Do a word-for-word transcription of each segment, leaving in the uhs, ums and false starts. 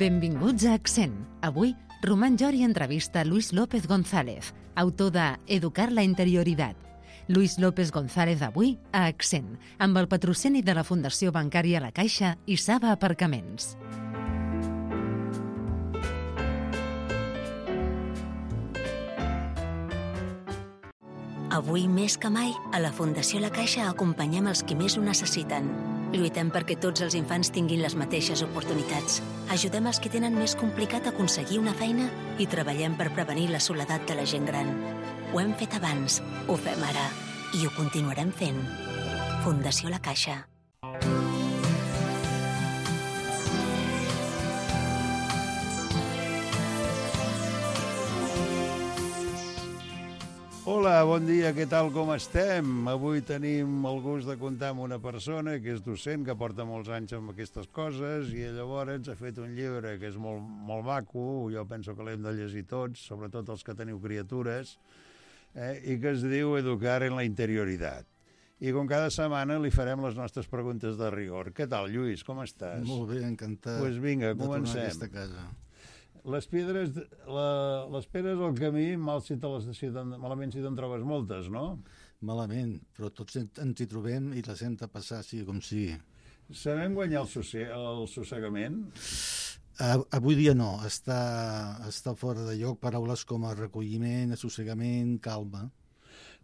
Benvinguts a Accent. Avui, Román Llori entrevista a Luis López González, autor de Educar la interioridad. Luis López González avui a Accent, amb el patrocini de la Fundació Bancària La Caixa i Saba Aparcaments. Avui més que mai, a la Fundació La Caixa acompanyem els qui més ho necessiten. Lluitem perquè tots els infants tinguin les mateixes oportunitats. Ajudem els que tenen més complicat aconseguir una feina i treballem per prevenir la soledat de la gent gran. Ho hem fet abans, ho fem ara i ho continuarem fent. Fundació La Caixa. Hola, bon dia, què tal, com estem? Avui tenim el gust de comptar amb una persona que és docent, que porta molts anys amb aquestes coses i llavors ha fet un llibre que és molt, molt maco, jo penso que l'hem de llegir tots, sobretot els que teniu criatures, eh, i que es diu Educar en la interioridad. I com cada setmana li farem les nostres preguntes de rigor. Què tal, Lluís, com estàs? Molt bé, encantat pues vinga, de tornar comencem. a aquesta casa. Les pedres, la, les pedres al camí, mal si te les, si te'n, malament si te'n trobes moltes, no? Malament, però tots ens hi trobem i les hem de passar, sigui com sigui. Sabem guanyar el, sosse, el sossegament? Uh, avui dia no, està, està fora de lloc paraules com a recolliment, assossegament, calma.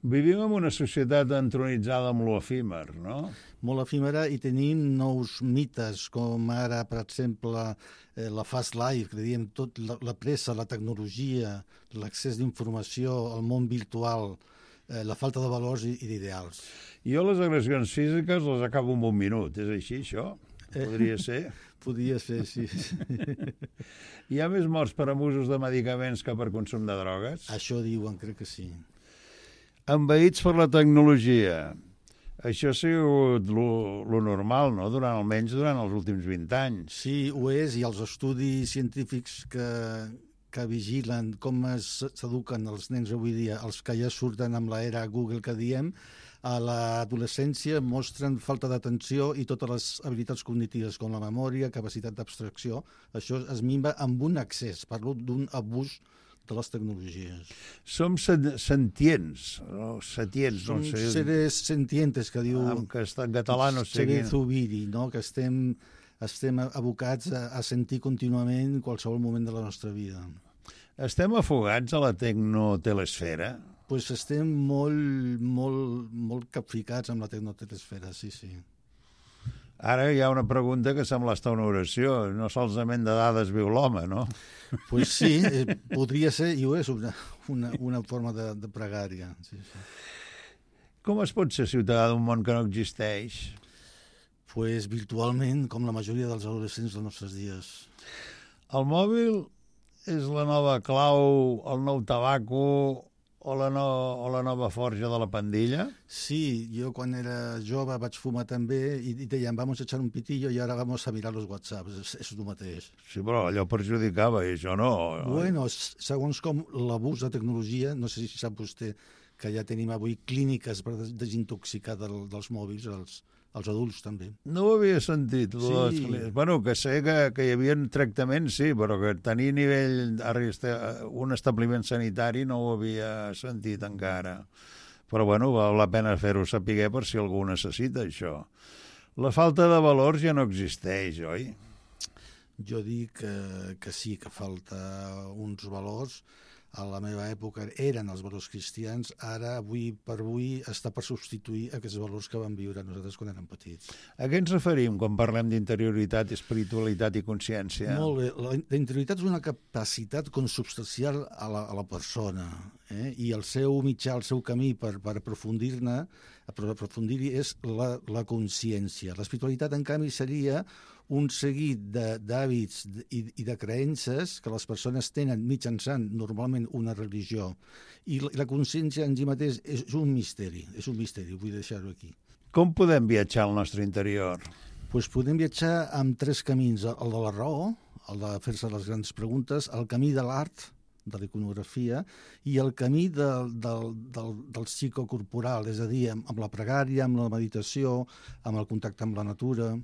Vivim en una societat entronitzada amb lo efímer, no? Molt efímera, i tenim nous mites, com ara, per exemple, eh, la fast life, que diem tot, la, la pressa, la tecnologia, l'accés d'informació, el món virtual, eh, la falta de valors i, i d'ideals. Jo les agressions físiques les acabo en un minut, és així, això? Podria ser? Podria ser, sí. Hi ha més morts per abusos de medicaments que per consum de drogues? Això diuen, crec que sí. Envaïts per la tecnologia. Això ha sigut lo, lo normal, no?, durant, almenys durant els últims vint anys. Sí, ho és, i els estudis científics que, que vigilen com s'eduquen els nens avui dia, els que ja surten amb l'era Google que diem, a l'adolescència mostren falta d'atenció i totes les habilitats cognitives com la memòria, capacitat d'abstracció. Això es minva amb un excés, parlo d'un abús de les tecnologies. Som sentients, no? Sentients, Som no sé. seres sentientes, que diu... En, que està en català, no sé quin. Zubiri, no? Que estem, estem abocats a, a sentir contínuament qualsevol moment de la nostra vida. Estem afogats a la tecnotelesfera? Pues estem molt, molt, molt capficats amb la tecnotelesfera, sí, sí. Ara hi ha una pregunta que sembla estar una oració. No solament de dades viu l'home, no? Pues sí, eh, podria ser, i ho és, una, una, una forma de, de pregària. Sí, sí. Com es pot ser ciutadà d'un món que no existeix? Pues virtualment, com la majoria dels adolescents dels nostres dies. El mòbil és la nova clau, el nou tabaco o la, no, o la nova forja de la pandilla? Sí, jo quan era jove vaig fumar també i, i deien, vamos a echar un pitillo i ara vamos a mirar los whatsapps. És, és el mateix. Sí, però allò perjudicava i això no. Bueno, segons com l'abús de tecnologia, no sé si sap vostè que ja tenim avui clíniques per desintoxicar del, dels mòbils, els, els adults també. No ho havia sentit. Sí. Les... Bueno, que sé que, que hi havia tractaments, sí, però que tenir nivell, un establiment sanitari no ho havia sentit encara. Però bueno, val la pena fer-ho saber per si algú necessita això. La falta de valors ja no existeix, oi? Jo dic que, que sí, que falta uns valors. A la meva època eren els valors cristians, ara, avui per avui, està per substituir aquests valors que vam viure nosaltres quan érem petits. A què ens referim quan parlem d'interioritat, espiritualitat i consciència? Molt bé. La, la interioritat és una capacitat consubstancial a la, a la persona, eh? I el seu mitjà, el seu camí per, per aprofundir-ne, per aprofundir-hi és la, la consciència. L'espiritualitat, en canvi, seria un seguit d'hàbits i, i de creences que les persones tenen mitjançant normalment una religió. I la, la consciència en si mateix és un misteri, és un misteri, vull deixar-ho aquí. Com podem viatjar al nostre interior? Pues podem viatjar amb tres camins. El de la raó, el de fer-se les grans preguntes, el camí de l'art, de l'iconografia, i el camí del, del, del, del psicocorporal, és a dir, amb, amb la pregària, amb la meditació, amb el contacte amb la natura.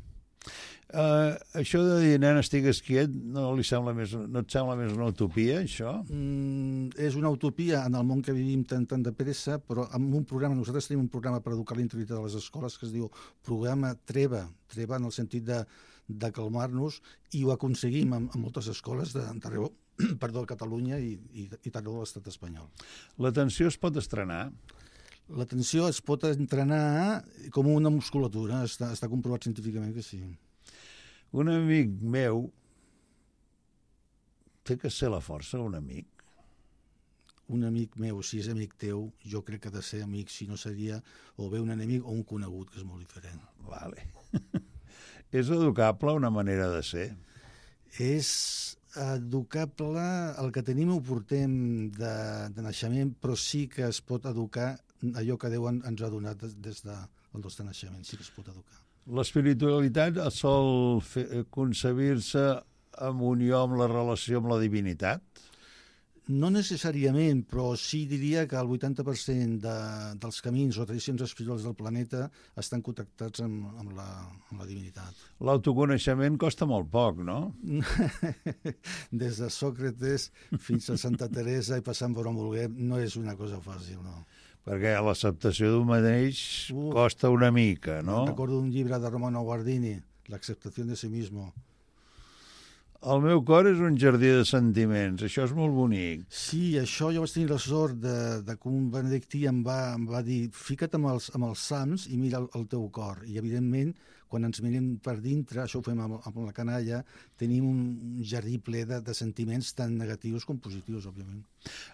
Uh, això de dir, nen, estigues quiet, no, li sembla més, no et sembla més una utopia, això? Mm, és una utopia en el món que vivim tan, tan de pressa, però amb un programa, nosaltres tenim un programa per educar la interioritat de les escoles que es diu programa Treva, Treva en el sentit de, de calmar-nos, i ho aconseguim en, en moltes escoles d'arreu, perdó, Catalunya i, i, i també de l'estat espanyol. L'atenció es pot estrenar? L'atenció es pot entrenar com una musculatura, està, està comprovat científicament que sí. Un amic meu té que ser la força, un amic. Un amic meu, si és amic teu, jo crec que ha de ser amic, si no seria o bé un enemic o un conegut, que és molt diferent. Vale. És educable una manera de ser? És educable, el que tenim ho portem de, de naixement, però sí que es pot educar allò que Déu ens ha donat des del nostre naixement, sí que es pot educar. L'espiritualitat sol fer, concebir-se en unió amb la relació amb la divinitat? No necessàriament, però sí diria que el vuitanta per cent de, dels camins o tradicions espirituals del planeta estan connectats amb, amb, la, amb la divinitat. L'autoconeixement costa molt poc, no? Des de Sòcrates fins a Santa Teresa i passant per on vulguem, no és una cosa fàcil, no. Perquè l'acceptació d'un mateix Uf, costa una mica, no? Recordo un llibre de Romano Guardini, L'acceptació de sí mismo. El meu cor és un jardí de sentiments, això és molt bonic. Sí, això jo vaig tenir la sort de, de que un benedictí em va, em va dir fica't amb els, amb els sants i mira el, el teu cor. I evidentment, quan ens mirem per dintre, això ho fem amb, amb la canalla, tenim un, un jardí ple de, de sentiments tan negatius com positius, òbviament.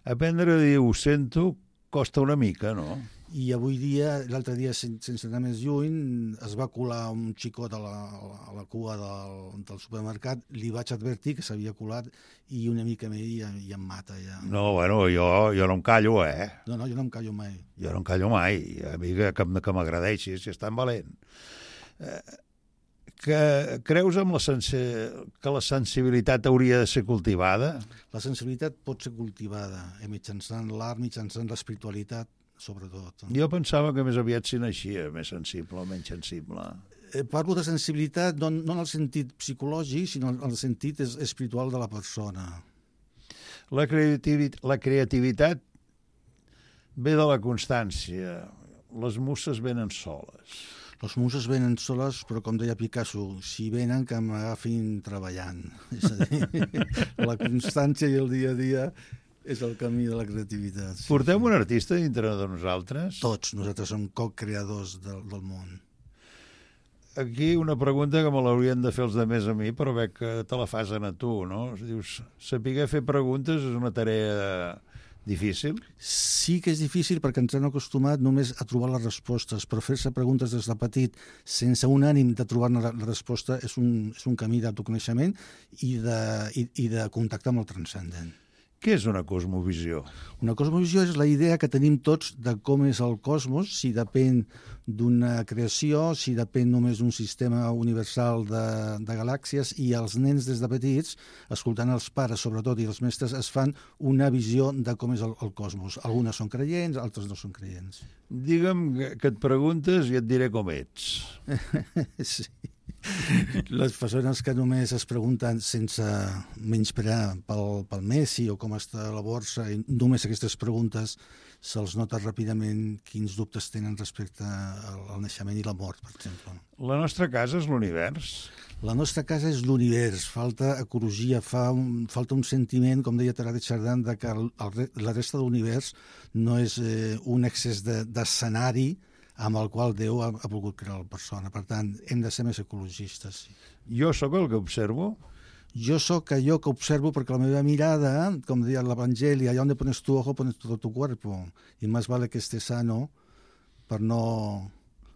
Aprendre a dir ho sento costa una mica, no? I avui dia, l'altre dia, sense anar més lluny, es va colar un xicot a la, a la cua del, del supermercat, li vaig advertir que s'havia colat i una mica més i, i em mata. Ja. No, bueno, jo, jo no em callo, eh? No, no, jo no em callo mai. Jo no em callo mai, a mi que, que m'agradeixis, si és tan valent. Eh, que creus amb la sensi... que la sensibilitat hauria de ser cultivada? La sensibilitat pot ser cultivada eh, mitjançant l'art, mitjançant l'espiritualitat, sobretot. Jo pensava que més aviat s'hi naixia, més sensible o menys sensible. Eh, parlo de sensibilitat no, no en el sentit psicològic, sinó en el sentit es, espiritual de la persona. La creativitat, la creativitat ve de la constància. Les muses venen soles. Les muses venen soles, però com deia Picasso, si venen que m'agafin treballant. És a dir, la constància i el dia a dia és el camí de la creativitat. Sí. Portem un artista dintre de nosaltres? Tots, nosaltres som co-creadors del, del món. Aquí una pregunta que me l'haurien de fer els de més a mi, però veig que te la fas a tu, no? Dius, saber fer preguntes és una tarea difícil? Sí que és difícil perquè ens han acostumat només a trobar les respostes, però fer-se preguntes des de petit sense un ànim de trobar-ne la, la resposta és un, és un camí d'autoconeixement i de, i, i de contactar amb el transcendent. Què és una cosmovisió? Una cosmovisió és la idea que tenim tots de com és el cosmos, si depèn d'una creació, si depèn només d'un sistema universal de, de galàxies, i els nens des de petits, escoltant els pares sobretot i els mestres, es fan una visió de com és el, el cosmos. Algunes són creients, altres no són creients. Digue'm que et preguntes i et diré com ets. Sí. Les persones que només es pregunten sense menysprear pel, pel Messi o com està la borsa, i només aquestes preguntes se'ls nota ràpidament quins dubtes tenen respecte al, al naixement i la mort, per exemple. La nostra casa és l'univers? La nostra casa és l'univers. Falta ecologia, fa un, falta un sentiment, com deia Teilhard de Chardin, de que el, el, la resta de l'univers no és eh, un excés d'escenari de, amb el qual Déu ha, ha volgut crear la persona. Per tant, hem de ser més ecologistes. Sí. Jo sóc el que observo? Jo sóc allò que observo perquè la meva mirada, com deia l'Evangeli, allà on pones tu ojo, pones todo tu cuerpo. I més vale que estés sano per no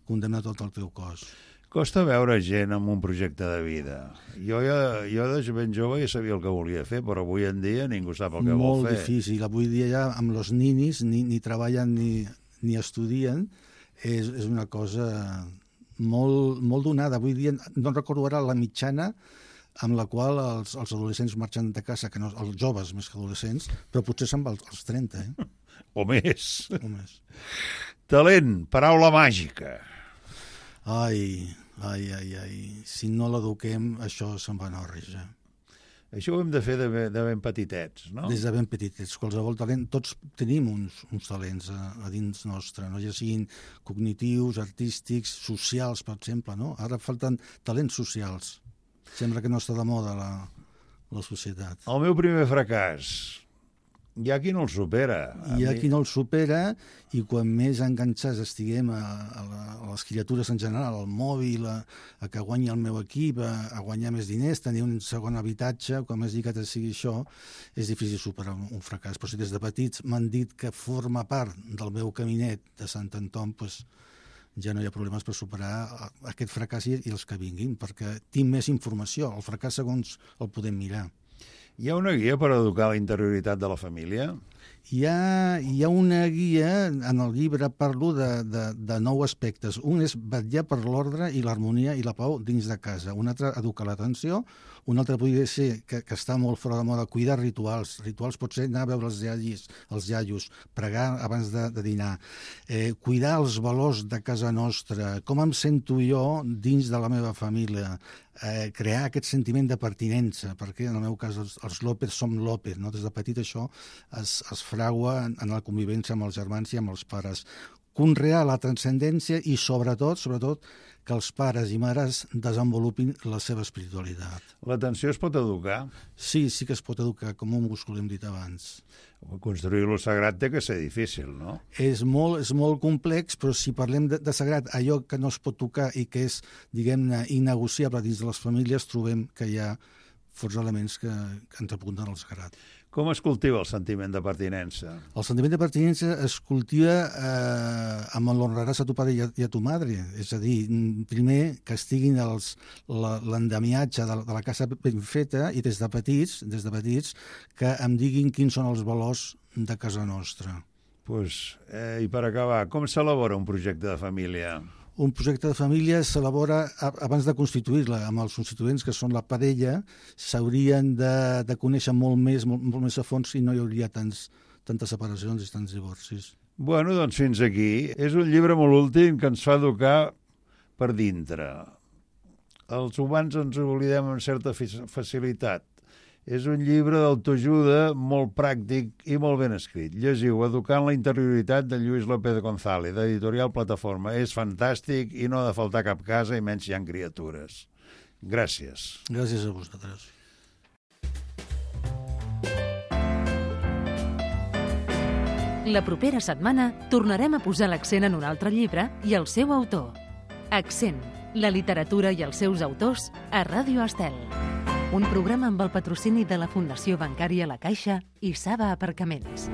condemnar tot el teu cos. Costa veure gent amb un projecte de vida. Jo, ja, jo de ben jove ja sabia el que volia fer, però avui en dia ningú sap el que Molt vol fer. Molt difícil. Avui dia ja amb els ninis ni, ni treballen ni, ni estudien. És, és una cosa molt, molt donada. Avui dia no recordo ara la mitjana amb la qual els, els adolescents marxen de casa, que no, els joves més que adolescents, però potser se'n va als, als trenta. Eh? O més. O més. Talent, paraula màgica. Ai, Ai, ai, ai. Si no l'eduquem, això se'n va anar a orreja. Això ho hem de fer de, ben- de ben petitets, no? Des de ben petitets, qualsevol talent, tots tenim uns, uns talents a, a dins nostre, no? Ja siguin cognitius, artístics, socials, per exemple, no? Ara falten talents socials. Sembla que no està de moda la, la societat. El meu primer fracàs, hi ha qui no el supera. A Hi ha mi- qui no el supera i quan més enganxats estiguem a, a, la, a les criatures en general, al mòbil, a, a que guanyi el meu equip, a, a guanyar més diners, tenir un segon habitatge, com més lligat sigui això, és difícil superar un, un fracàs. Però si des de petits m'han dit que forma part del meu caminet de Sant Anton, doncs ja no hi ha problemes per superar aquest fracàs i, i els que vinguin, perquè tinc més informació. El fracàs, segons el podem mirar. Hi ha una guia per educar la interioritat de la família? Hi ha, hi ha una guia, en el llibre parlo de, de, de nou aspectes. Un és vetllar per l'ordre i l'harmonia i la pau dins de casa. Un altre, educar l'atenció. Un altre podria ser, que, que està molt fora de moda, cuidar rituals. Rituals pot ser anar a veure els iaios, els iaios, pregar abans de, de dinar, eh, cuidar els valors de casa nostra, com em sento jo dins de la meva família, eh, crear aquest sentiment de pertinença, perquè en el meu cas els, els López som López, no? Des de petit això es, es fragua en, en la convivència amb els germans i amb els pares. Conrear la transcendència i, sobretot, sobretot, que els pares i mares desenvolupin la seva espiritualitat. L'atenció es pot educar? Sí, sí que es pot educar, com un múscul, hem dit abans. Construir-lo sagrat té que ser difícil, no? És molt, és molt complex, però si parlem de, de sagrat, allò que no es pot tocar i que és, diguem-ne, innegociable dins de les famílies, trobem que hi ha forts elements que, que ens apunten al sagrat. Com es cultiva el sentiment de pertinença? El sentiment de pertinença es cultiva eh, amb l'honraràs a tu pare i a, i a tu madre. És a dir, primer que estiguin els, la, l'endemiatge de, de la casa ben feta i des de petits, des de petits que em diguin quins són els valors de casa nostra. Pues, eh, I per acabar, com s'elabora un projecte de família? Un projecte de família s'elabora abans de constituir-la, amb els constituents que són la parella, s'haurien de, de conèixer molt més, molt, molt més a fons i no hi hauria tants, tantes separacions i tants divorcis. Bueno, doncs fins aquí. És un llibre molt últim que ens fa educar per dintre. Els humans ens oblidem amb certa facilitat. És un llibre d'autoajuda molt pràctic i molt ben escrit. Llegiu Educant la interioritat de Lluís López González, d'Editorial Plataforma. És fantàstic i no ha de faltar cap casa, i menys hi ha criatures. Gràcies. Gràcies a vosaltres. La propera setmana tornarem a posar l'accent en un altre llibre i el seu autor. Accent, la literatura i els seus autors a Ràdio Estel. Un programa amb el patrocini de la Fundació Bancària La Caixa i Saba Aparcaments.